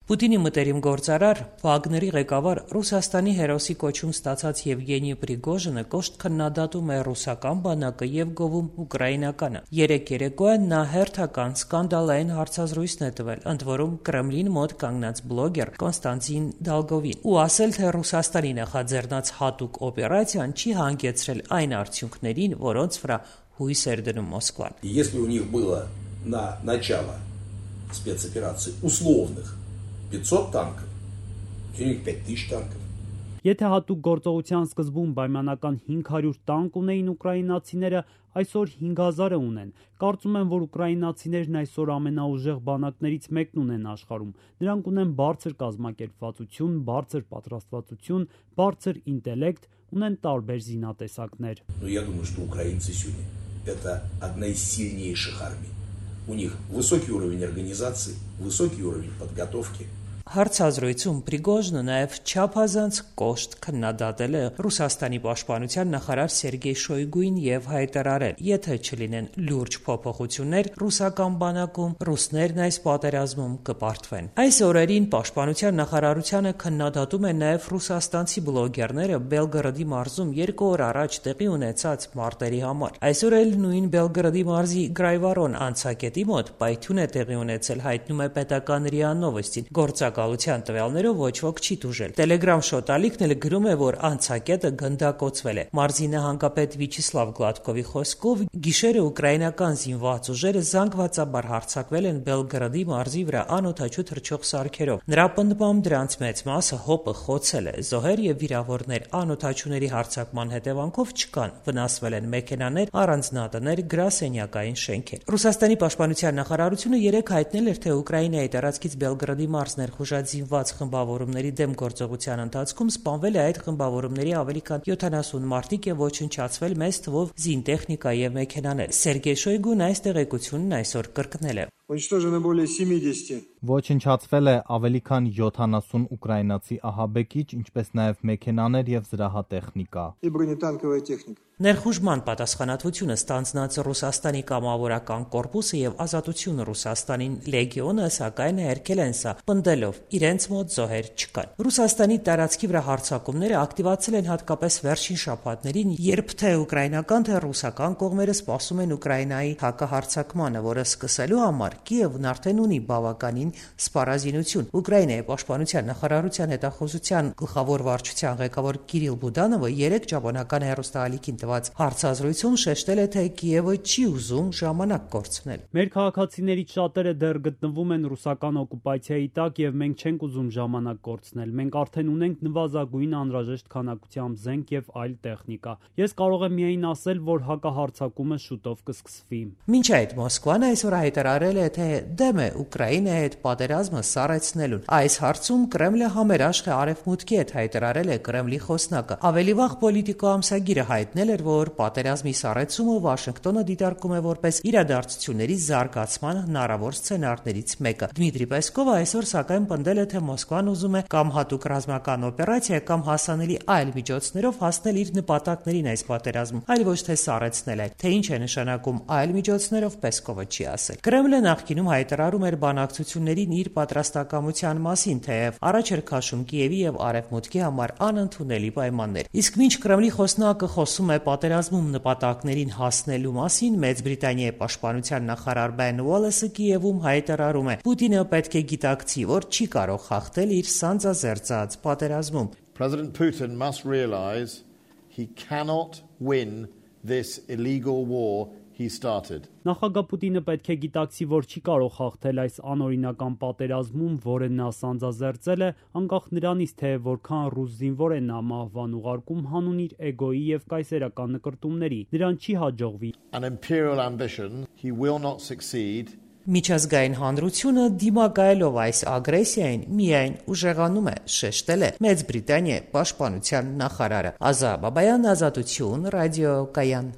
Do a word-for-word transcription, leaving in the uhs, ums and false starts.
Պուտինի մտերիմ գործարար, Վագների ղեկավար Ռուսաստանի հերոսի կոչում ստացած Եվգենի Պրիգոժինը կոշտ քննադատում է ռուսական բանակը եւ գովում ուկրաինականը։ Երեք երեկոյան նա հերթական սկանդալային հարցազրույցն է տվել, ընդ որում Կրեմլին մոտ կանգնած բլոգեր Կոնստանտին Դալգովին, ու ասել, թե Ռուսաստանի նախաձեռնած հատուկ օպերացիան չի հանգեցրել այն արդյունքներին, որոնց վրա հույս էր դնում Մոսկվան։ Если у них было на начало спецоперации условных пятьсот танков, у них пять тысяч танков. Եթե հատուկ գործողության սկզբում պայմանական հինգ հարյուր տանկ ունեին ուկրաինացիները, այսօր հինգ հազար ունեն։ Կարծում եմ, որ ուկրաինացիներն այսօր ամենաուժեղ բանակներից մեկն ունեն աշխարհում։ Նրանք ունեն բարձր կազմակերպվածություն, բարձր պատրաստվածություն, բարձր ինտելեկտ, ունեն տարբեր զինատեսակներ։ Но я думаю, что украинцы сегодня это одна из сильнейших армий. У них высокий уровень организации, высокий уровень подготовки. Հարցազրույցում Պրիգոժինը նաև չափազանց կոշտ քննադատել է Ռուսաստանի պաշտպանության նախարար Սերգեյ Շոյգուին եւ հայտարարել, եթե չլինեն լուրջ փոփոխություններ ռուսական բանակում, ռուսներն այս պատերազմում կպարտվեն։ Այս օրերին պաշտպանության նախարարությանը քննադատում են նաև ռուսաստանցի բլոգերները Բելգրադի մարզում երկու օր առաջ տեղի ունեցած մարտերի համար։ Այսօր էլ նույն Բելգրադի մարզի Գրայվարոն անցակետի մոտ պայթյուն է տեղի ունեցել, հայտնում է պետական ՌԻԱ Նովոստին։ Գործակ Գալության տվյալներով ոչ ոք չի տուժել։ Տելեգրամ շոտալիքն էլ գրում է, որ անցակետը գնդակոծվել է։ Մարզի նահանգապետ Վիչիսլավ Գլադկովի խոսքով գիշերը ուկրաինական զինված ուժերը զանգվածաբար հարձակվել են Բելգրադի մարզի վրա անօդաչու թռչող սարքերով։ Նրա պնդմամբ դրանց մեծ մասը հոպը խոցել է։ Զոհեր եւ վիրավորներ անօդաչուների հարձակման հետևանքով չկան։ Վնասվել են մեքենաներ, առանձնատներ, գրասենյակային շենքեր։ Ռուսաստանի պաշտպանության նախարարությունը երեկ հայտնել էր, թե Ուկրաինայի տարածքից Բելգրադի մարզներ զինված խմբավորումների դեմ գործողության ընթացքում սպանվել է այդ խմբավորումների ավելի քան յոթանասուն մարդիկ եւ ոչնչացվել մեծ թվով զինտեխնիկա եւ մեքենաներ։ Սերգեյ Շոյգուն այս տեղեկությունն այսօր կրկնել է։ Уничтожено более семидесяти. Ոչնչացվել է ավելի քան յոթանասուն ուկրաինացի ահաբեկիչ, ինչպես նաև մեքենաներ եւ զրահատեխնիկա։ И бронетанковая техника. Ներխուժման պատասխանատվությունը ստանձնած Ռուսաստանի կամավորական կորպուսը եւ Ազատություն Ռուսաստանին լեգիոնը սակայն հերքել են սա, պնդելով իրենց մոտ զոհեր չկան։ Ռուսաստանի տարածքի վրա հարձակումները ակտիվացել են հատկապես վերջին շաբաթներին, երբ թե ուկրաինական, թե ռուսական կողմերը սպասում են Ուկրաինայի հակահարձակմանը, որը սկսելու համար Կիևն արդեն ունի բավականին սպառազինություն։ Ուկրաինայի պաշտպանության նախարարության հետախուզության գլխավոր վարչության ղեկավար Կիրիլ Բուդանովը երեք ճապոնական հեռուստաալիքին տված հարցազրույցում շեշտել է, թե Կիևը չի ուզում ժամանակ կորցնել։ Մեր քաղաքացիներից շատերը դեռ գտնվում են ռուսական օկուպացիայի տակ եւ մենք չենք ուզում ժամանակ կորցնել։ Մենք արդեն ունենք նվազագույն անհրաժեշտ քանակությամբ զենք եւ այլ տեխնիկա։ Ես կարող եմ միայն ասել, որ հակահարձակումը շուտով կսկսվի։ Մինչ այդ Մոսկվան այսօր հայտարարել է, թե դեմ է Ուկրաինայի հետ պատերազմը սառեցնելուն։ Այս հարցում Կրեմլը համերաշխ է Արևմուտքի հետ, հայտարարել է Կրեմլի խոսնակը։ Ավելի վաղ Պոլիտիկո ամսագիրը հայտնել էր, որ պատերազմի սառեցումը Վաշինգտոնը դիտարկում է որպես իրադարձությունների զարգացման հնարավոր սցենարներից մեկը։ Դմիտրի Պեսկովը այսօր սակայն պնդել է, թե Մոսկվան ուզում է կամ հատուկ ռազմական օպերացիա, կամ հասանելի այլ միջոցներով հասնել իր նպատակներին այս պատերազմում, այլ ոչ թե սառեցնել այդ։ Թե ինչ է նշանակում այլ միջոցներով, Պեսկովը չի ասել։ Կրեմլը նախկինում հայտարարում էր բանակցություններին իր պատրաստակամության մասին, թեև առաջ էր քաշում Կիևի եւ Արևմուտքի համար անընդունելի պայմաններ։ Իսկ մինչ Կրեմլի խոսնակը խոսում է պատերազմում նպատակներին հասնելու մասին, Մեծ Բրիտանիայի պաշտպանության նախարար Բեն Ուոլեսը Կիևում հայտարարում է. Պուտինը պետք է գիտակցի, որ չի կարող հաղթել իր սանձազերծած պատերազմում։ President Putin must realize he cannot win this illegal war he started. Նախագահ Պուտինը պետք է գիտակցի, որ չի կարող հաղթել այս անօրինական պատերազմում, որը նա սանձազերծել է, անկախ նրանից, թե որքան ռուս զինվոր է նա մահվան ուղարկում հանուն իր էգոյի եւ կայսերական նկրտումների։ Նրան չի հաջողվի։ An imperial ambition, he will not succeed. Միջազգային հանրությունը դիմակայելով այս ագրեսիային միայն ուժեղանում է, շեշտել է Մեծ Բրիտանիայի պաշտպանության նախարարը։ Ազա Բաբայան, Ազատություն, ռադիո Կայան։